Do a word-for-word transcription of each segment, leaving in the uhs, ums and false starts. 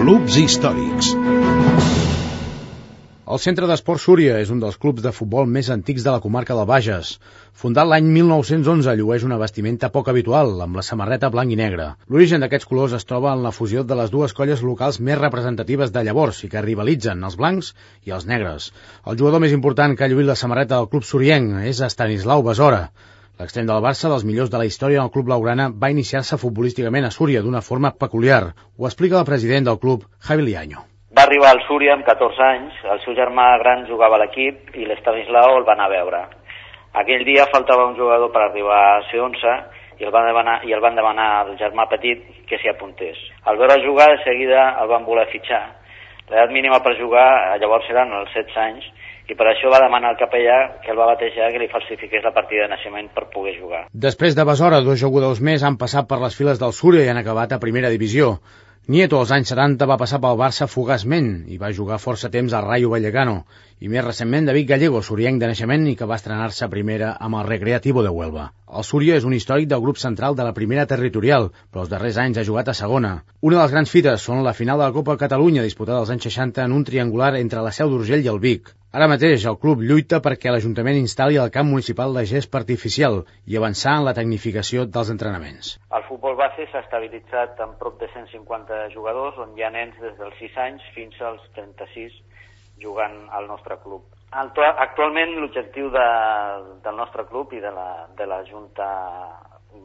Clubs històrics. El Centre d'Esports Súria és un dels clubs de futbol més antics de la comarca del Bages. Fundat l'any mil nou-cents onze, llueix una vestimenta poc habitual, amb la samarreta blanc i negre. L'origen d'aquests colors es troba en la fusió de les dues colles locals més representatives de llavors i que rivalitzen, els blancs i els negres. El jugador més important que ha lluït la samarreta del club surienc és Estanislau Besora. L'extrem del Barça, dels millors de la història del club blaugrana, va iniciar-se futbolísticament a Súria d'una forma peculiar. Ho explica el president del club, Javi Liaño. Va arribar al Súria amb catorze anys, el seu germà gran jugava a l'equip i l'Estanislau el va anar a veure. Aquell dia faltava un jugador per arribar a ser onze i el van demanar, i el van demanar al germà petit que s'hi apuntés. Al veure jugar, de seguida el van voler fitxar. L'edat mínima per jugar llavors eren els setze anys i per això va demanar al capellà que el va batejar que li falsifiqués la partida de naixement per poder jugar. Després de Besora, dos jugadors més han passat per les files del Súria i han acabat a primera divisió. Nieto, als anys setanta, va passar pel Barça fugaçment i va jugar força temps al Rayo Vallecano, i més recentment David Gallego, surienc de naixement i que va estrenar-se a primera amb el Recreativo de Huelva. El Súria és un històric del grup central de la primera territorial, però els darrers anys ha jugat a segona. Una de les grans fites són la final de la Copa Catalunya, disputada als anys seixanta en un triangular entre la Seu d'Urgell i el Vic. Ara mateix el club lluita perquè l'Ajuntament instal·li al camp municipal de gest artificial i avançar en la tecnificació dels entrenaments. El futbol base s'ha estabilitzat amb prop de cent cinquanta jugadors, on hi ha nens des dels sis anys fins als trenta-sis jugant al nostre club. Actualment l'objectiu de, del nostre club i de la, de la Junta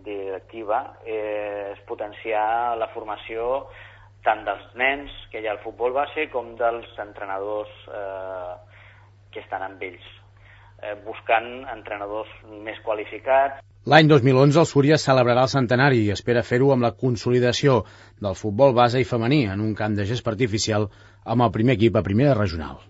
Directiva és potenciar la formació tant dels nens que hi ha al futbol base com dels entrenadors eh, que estan amb ells, eh, buscant entrenadors més qualificats. L'any dos mil onze el Súria celebrarà el centenari i espera fer-ho amb la consolidació del futbol base i femení en un camp de gest artificial amb el primer equip a primera regional.